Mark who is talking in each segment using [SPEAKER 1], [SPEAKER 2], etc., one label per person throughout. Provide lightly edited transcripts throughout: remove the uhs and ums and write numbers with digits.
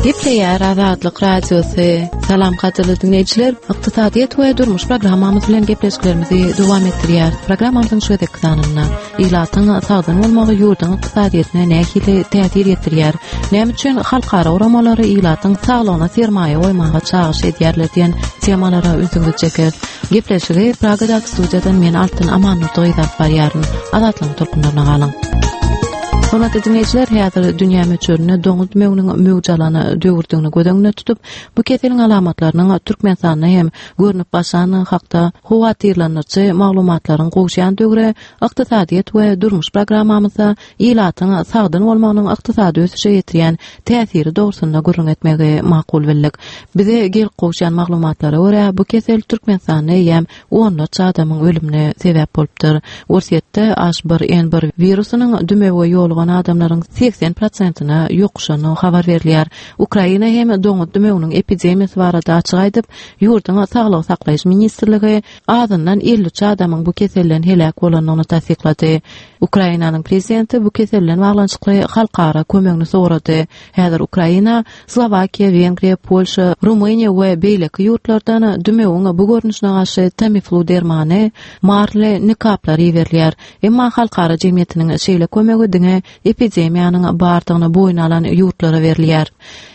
[SPEAKER 1] Gepleýär Azatlyk Radiosy. Salam gadyrly diňleýjiler. Ykdysadyýet we durmuş programmamyz bilen gepleşiklerimizi dowam etdirýäris. Programmamyzyň şu gezekki sanynda ilatyň sagdyn bolmagy ýurduň ykdysadyýetine nähili täsir ýetirýär? Näme üçin halkara guramalary ilatyň saglygyna sermaýa goýmaga çagyryş edýärler diýen temalara ünsüňizi çekeris. Gepleşigi Pragadaky studiýadan men Altyn Amannurdy gyz alyp barýaryn. Azatlygyň tolkunlaryna galyň. Hormatly diňleýjiler, häzir dünýä möçberinde doňuz dümewiniň möwç alan döwürdigini göz öňünde tutup, bu keseliň alamatlarynyň Türkmenistanda hem görnüp başlandygy hakda howatyrlandyryjy maglumatlaryň gowuşýan döwri ykdysadyýet we durmuş programmamyzda ilatyň sagdyn bolmagynyň ykdysady ösüşe ýetirýän täsiri dogrusynda gürrüň etmegi makul bildik. Bize gelip gowuşýan maglumatlara görä, bu kesel Türkmenistanda eýýäm onlarça adamyň ölümine sebäp bolupdyr. Orsýetde H1N1 wirusynyň dümewe ýolugan adamlaryň 80 prosentine ýokuşandygy habar berilýär. Ukraina hem doňuz dümewiniň epidemiýasy barada açyk aýdyp, ýurduň Saglygy saklaýyş ministrligi azyndan 53 adamyň bu keselden heläk bolandygyny tassyklady. Ukrainanyň prezidenti bu kesel bilen baglanyşykly halkara kömegini sorady. Häzir Ukraina, Slowakiýa, Wengriýa, Polşa, Rumyniýa we beýleki ýurtlardan dümewiň bu görnüşine garşy Tamiflu dermany, marly nikaplar iberilýär. Emma halkara jemgyýetiniň şeýle kömegi diňe epidemiýanyň bardygyny boýun alan ýurtlara berilýär.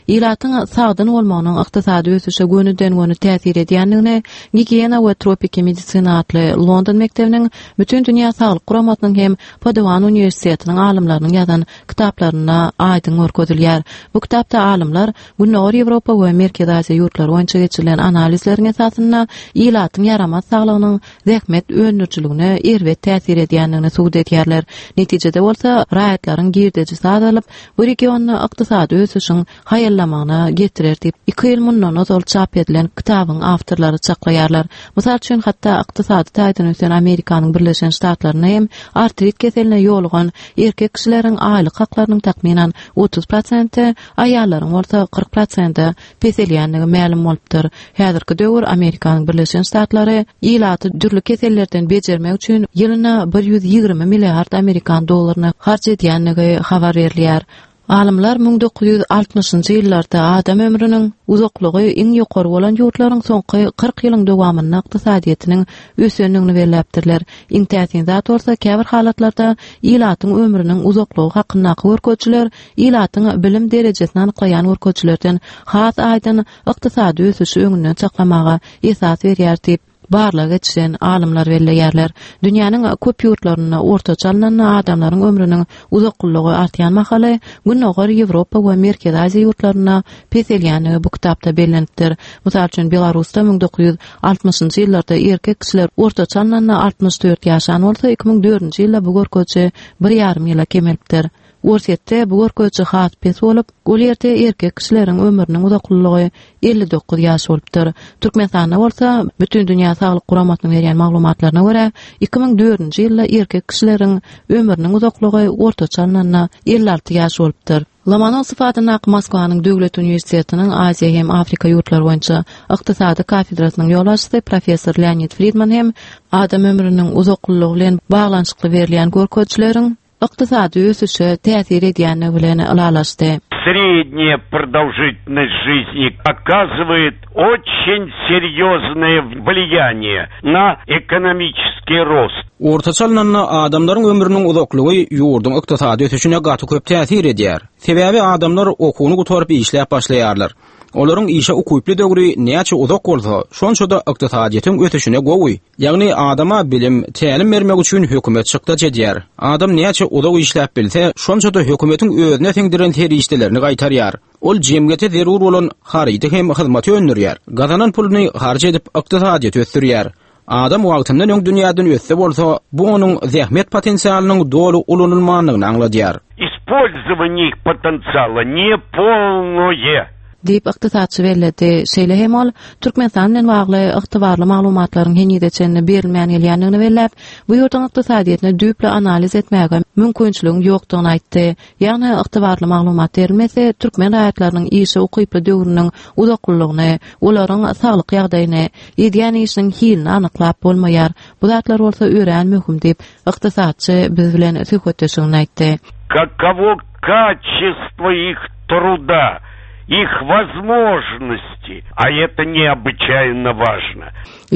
[SPEAKER 1] Ilatyň sagdyn bolmagynyň ykdysady ösüşe gönüden-göni täsir edýändigini Gigiýena we tropiki medisina atly London mekdebiniň Bütindünýä saglyk guramasynyň hem Paduan uniwersitetiniň alymlarynyň ýazan kitaplarynda aýdyň görkezilýär. Bu kitapda alymlar Gündogar Ýewropa we Merkezi Aziýa ýurtlary boýunça geçirilen analizleriň esasynda ilatyň ýaramaz saglygynyň zähmet öndürijiligine erbet täsir edýändigini subut edýärler. Netijede bolsa, raýatlaryň girdejisi azalyp, bu regionda ykdysady ösüşiň haýallamagyna getirer diýip, iki ýyl mundan ozal çap edilen kitabyň awtorlary çaklaýarlar. Mysal üçin, hatda ykdysady taýdan ösen Amerikanyň Birleşen Ştatlarynda hem artrit keseline ýolugan erkek kişileriň aýlyk haklarynyň takmynan 30 prosenti, aýallaryň bolsa 40 prosente peselýändigi mälim bolupdyr. Häzirki döwür Amerikanyň Birleşen Ştatlary ilaty dürli kesellerden bejermek üçin ýylyna 120 milliard amerikan dollaryny harç edýändigi habar berilýär. Alymlar 1960-njy ýyllarda adam ömrüniň uzaklygy iň ýokary bolan ýurtlaryň soňky 40 ýylyň dowamynda ykdysadyýetiniň ösendigini belläpdirler. Iň täsin zat bolsa, käbir halatlarda ilatyň ömrüniň uzaklygy hakyndaky görkezijiler ilatyň bilim derejesini anyklaýan görkezijilerden has aýdyň ykdysady ösüşi öňünden çaklamaga esas berýär diýip, barlag geçiren alymlar belleýärler. Dünýäniň köp ýurtlarynda ortaça alnanda adamlaryň ömrüniň uzaklylygy artýan mahaly, Gündogar Ýewropa we Merkezi Aziýa ýurtlarynda peselýändigi bu kitapda bellenipdir. Mysal üçin, Belarusda 1960-njy ýyllarda erkek kişiler ortaça alnanda 64 ýaşan bolsa, 2004-nji ýylda bu görkeziji bir ýarym ýyla kemelipdir. Orsýetde bu görkeziji has pes bolup, ol ýerde erkek kişileriň ömrüniň uzaklylygy 59 ýaş bolupdyr. Türkmenistanda bolsa, Bütindünýä saglyk guramasynyň berýän maglumatlaryna görä, 2004-nji ýylda erkek kişileriň ömrüniň uzaklygy ortaça alnanda 56 ýaş bolupdyr. Lomonosow adyndaky Moskwanyň döwlet uniwersitetiniň Aziýa hem Afrika ýurtlary boýunça ykdysady kafedrasynyň ýolbaşçysy professor Leonid Fridman hem adam ömrüniň uzaklylygy bilen baglanyşykly berilýän görkezijileriň ykdysady ösüşe täsir edýändigi bilen ylalaşdy.
[SPEAKER 2] Srednýa prodolžitelnost жизни оказывает oçen serýoznoe wliýaniýe na ekonomiçeskiý rost.
[SPEAKER 3] Ortaça alnanda, adamlaryň ömrüniň uzaklygy ýurduň ykdysady ösüşine gaty köp täsir edýär. Sebäbi adamlar okuwyny gutaryp işläp başlaýarlar. Olaryň işe ukyply döwri näçe uzak bolsa, şonça-da ykdysadyýetiň ösüşine gowy. Ýagny adama bilim, tälim bermek üçin hökümet çykdajy edýär. Adam näçe uzak işläp bilse, şonça-da hökümetiň özüne siňdiren serişdelerini gaýtarýar. Ol jemgyýete zerur bolan harydy hem hyzmaty öndürýär. Gazanan puluny harç edip ykdysadyýeti ösdürýär. Adam wagtyndan öň dünýäden ötse bolsa, bu onuň zähmet potensialynyň doly ulanylmandygyny aňladýar.
[SPEAKER 2] Ispolzowaniýe ich potensiala ne polnoe.
[SPEAKER 1] Diýip, ykdysatçy belledi. Şeýle hem ol, Türkmenistan bilen bagly ygtybarly maglumatlaryň henize çenli berilmän gelýändigini belläp, bu ýurduň ykdysadyýetini düýpli analiz etmäge mümkinçiligiň ýokdugyny aýtdy. Ýagny, ygtybarly maglumat berilmese, türkmen raýatlarynyň işe ukyply döwrüniň uzaklylygyny, olaryň saglyk ýagdaýyny, edýän işiniň hilini anyklap bolmaýar. Bu zatlar bolsa örän möhüm diýip, ykdysatçy biz bilen söhbetdeşliginde aýtdy.
[SPEAKER 2] Kakowo. качество их труда, их возможности, а это необычайно важно.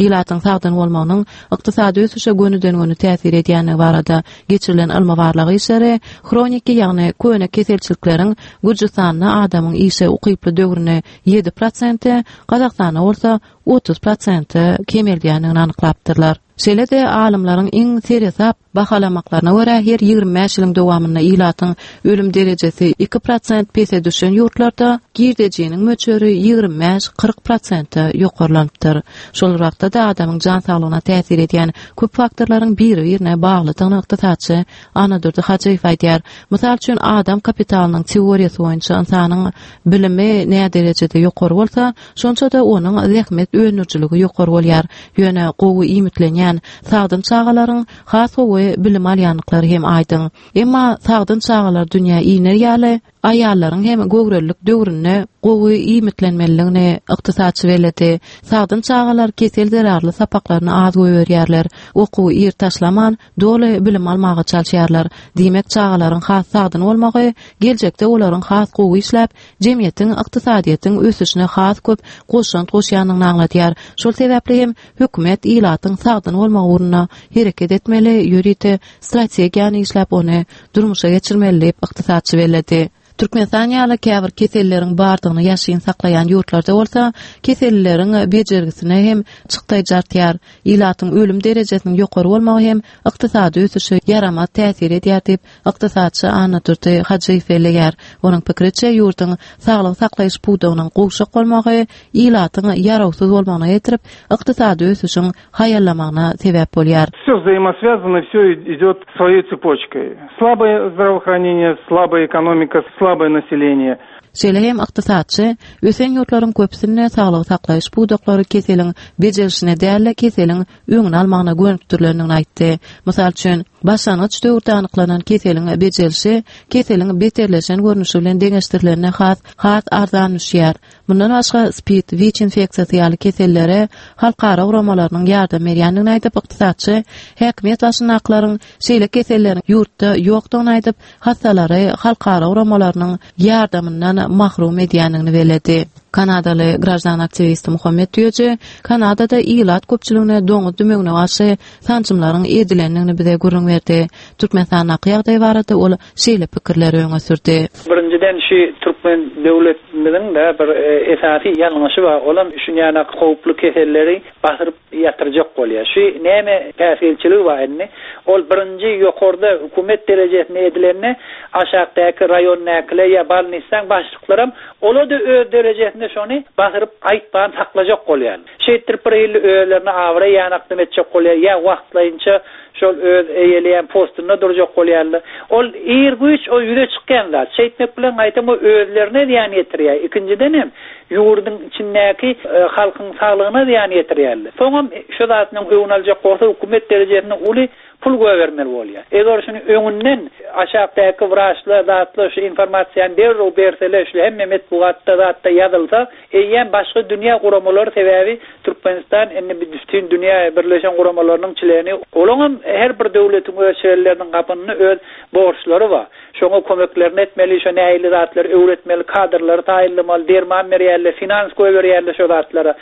[SPEAKER 1] Ilatyň sagdyn bolmagynyň ykdysady ösüşe gönüden-göni täsir edýändigi barada geçirilen ylmy-barlag işleri hroniki, ýagny köne keselçilikleriň Gürjüstanda adamyň işe ukyply döwrüni ýedi prosente, Gazagystanda bolsa 30 prosente kemeldýändigini anyklapdyrlar. Şeýle-de, alymlaryň iň seresap bahalamaklaryna görä, her 25 ýylyň dowamynda ilatyň ölüm derejesi 2% pese düşen ýurtlarda girdejiniň möçberi 25-40 prosente ýokarlanypdyr. Şol bir wagtda-da adamyň jan saglygyna täsir edýän köp faktorlaryň biri-birine baglydygyny ykdysatçy Annadurdy Hajyýew aýdýar. Mysal üçin, adam kapitalynyň teoriýasy boýunça ynsanyň bilimi näderejede ýokary bolsa, Şonça-da onuň zähmet öndürijiligi ýokary bolýar. Ýöne gowy iýmitlenýän, sagdyn çagalaryň has gowy bilim alýandyklary hem aýdyň. Emma sagdyn çagalar dünýä iner ýaly, aýallaryň hem göwrelilik döwründe gowy iýmitlenmelidigini ykdysatçy belledi. Sagdyn çagalar kesel zerarly sapaklaryny az goýberýärler, okuwy ir taşlaman, doly bilim almaga çalyşýarlar. Diýmek, çagalaryň has sagdyn bolmagy geljekde olaryň has gowy işläp, jemgyýetiň, ykdysadyýetiň ösüşine has köp goşant goşýandygyny aňladýar. Şol sebäpli hem hökümet ilatyň sagdyn bolmagy ugrunda hereket etmeli, ýörite strategiýany işläp, ony durmuşa geçirmeli diýip, ykdysatçy belledi. Türkmenistan ýaly käbir keselleriň bardygyny ýaşyryn saklaýan ýurtlarda bolsa, kesellileriň bejergisine hem çykdaýjy artýar. Ilatyň ölüm derejesiniň ýokary bolmagy hem ykdysady ösüşe ýaramaz täsir edýär diýip, Ykdysatçy Annadurdy Hajyýew belleýär. Onuň pikiriçe, ýurduň saglygy saklaýyş pudagynyň gowşak bolmagy ilatyň ýarawsyz bolmagyna getirip, ykdysady ösüşiň haýallamagyna sebäp bolýar.
[SPEAKER 4] Все взаимосвязано, все идет своей цепочкой. Слабое здравоохранение, слабая экономика, слабое население.
[SPEAKER 1] Şeýle hem ykdysatçy ösen ýurtlaryň köpüsinde saglygy saklaýyş pudaklary keseliň bejerilişine däl-de, keseliň öňüni almagyna gönükdirilendigini aýtdy. Mysal üçin, başlangyç döwürde anyklanan keseliň bejerilişi keseliň beterleşen görnüşi bilen deňeşdirilende has has arzan düşýär. Mundan başga, SPID, WIÇ infeksiýasy ýaly kesellere halkara guramalarynyň ýardam berýändigini aýdyp, ykdysatçy häkimiýet başyndakylaryň şeýle keselleriň ýurtda ýokdugyny aýdyp, hassalary halkara guramalarynyň ýardamyndan mahrum edýändigini belledi. Kanadaly graždan aktiwisti Muhammet Düýeji Kanadada ilat köpçüligine doňuz dümewine garşy sanjymlaryň edilendigini bize gürrüň berdi. Türkmenistandaky ýagdaý barada ol şeýle pikirleri öňe sürdi.
[SPEAKER 5] Birinjiden şu türkmen döwletimiziň-de bir esasy ýalňyşy bar, olam şunýanak howply keselleri basyryp ýatyrjak bolýar. Şu näme päsgelçiligi bar indi? Ol birinji ýokarda hökümet derejesinde edilende aşakdaky raýondakylar ýa balnissaň başlyklaram olar-da öz derejesinde şony basyryp aýtman saklajak bolýarlar. Şeýtdirip bir hili özlerine abraý ýanakdym etjek bolýar ýa wagtlaýynça şol öz eýeleýän postunda durjak bolýarlar. Ol ir-güýç o ýüze çykýan zat. Şeýtmek bilen gaýtam o özlerine zyýan ýetirýär. Ikinjidenem ýurduň içindäki halkyň saglygyna zyýan ýetirýärler. Soňam şu zadynyň öňüni aljak bolsa hökümet derejesinde uly pul goýbermeli bolýar. Eger şuny öňünden aşakdaky wraçlar zatlar şu informasiýany derrew berseler şu hemme metbugatda zatda ýazylsa eýýäm başga dünýä guramalary sebäbi Türkmenistan indi bütin dünýä birleşen guramalarynyň çleni olaňam her bir döwletiň öz çlenleriniň gapynda öz borçlary bar. Şoňa kömeklerini etmeli, şo nähili zatlary öwretmeli, kadrlary taýynlamaly, derman berýärler, finans goýberýärler şo zatlara.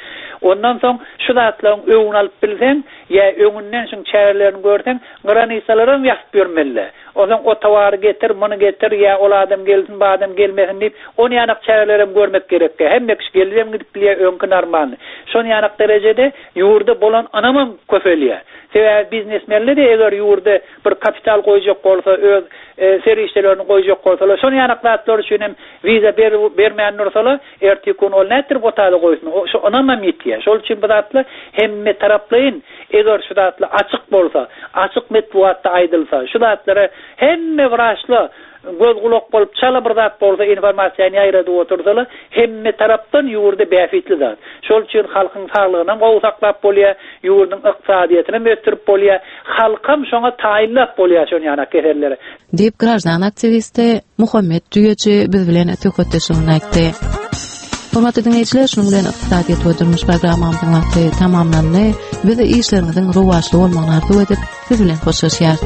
[SPEAKER 5] Ondan soň şu zatlaryň öňüni alyp bilseň, ýa öňünden şuň çärelerini görseň, granisalaram ýasyp ýörmeli-dä. Onsoň o towary getir, muny getir, ýa ol adam gelsin, bu adam gelmesin diýip, on ýanak çärelerem görmek gerekkä. Hemme kişi gelibem gidip bilýär, öňki normalny. Şon ýanak derejede ýurda bolan ynamam köpelýär. Sebäbi biznesmenler-de eger ýurda bir kapital goýjak bolsa, öz serişdelerini goýjak bolsalar, şonuň ýanak zatlar üçin hem wiza bermän dursalar, erteki gün ol nätdirip o taýda goýsun? Şo ynamam ýitýär. Şol üçin bu zatlar hemmetaraplaýyn, eger şu zatlar açyk bolsa, açyk metbugatda aýdylsa, şu zatlara hemme wraçlar göz-gulak bolup, çala bir zat bolsa informasiýany ýaýradyp otursalar, hemme tarapdan ýurda bähbitli zat. Şol üçin halkyň saglygynam gowy saklap bolýar, ýurduň ykdysadyýetinem ösdürip bolýar, halkam şoňa taýynlap bolýar şon ýanak kesellere.
[SPEAKER 1] Diýip, graždan aktiwisti Muhammet Düýeji biz bilen söhbetdeşliginde aýtdy. Hormatly diňleýjiler, şunuň bilen ykdysadyýet we durmuş programmamyzyň wagty tamamlandy. Biz işleriňiziň rowaçly bolmagyny arzuw edip, siz bilen hoşlaşýarys.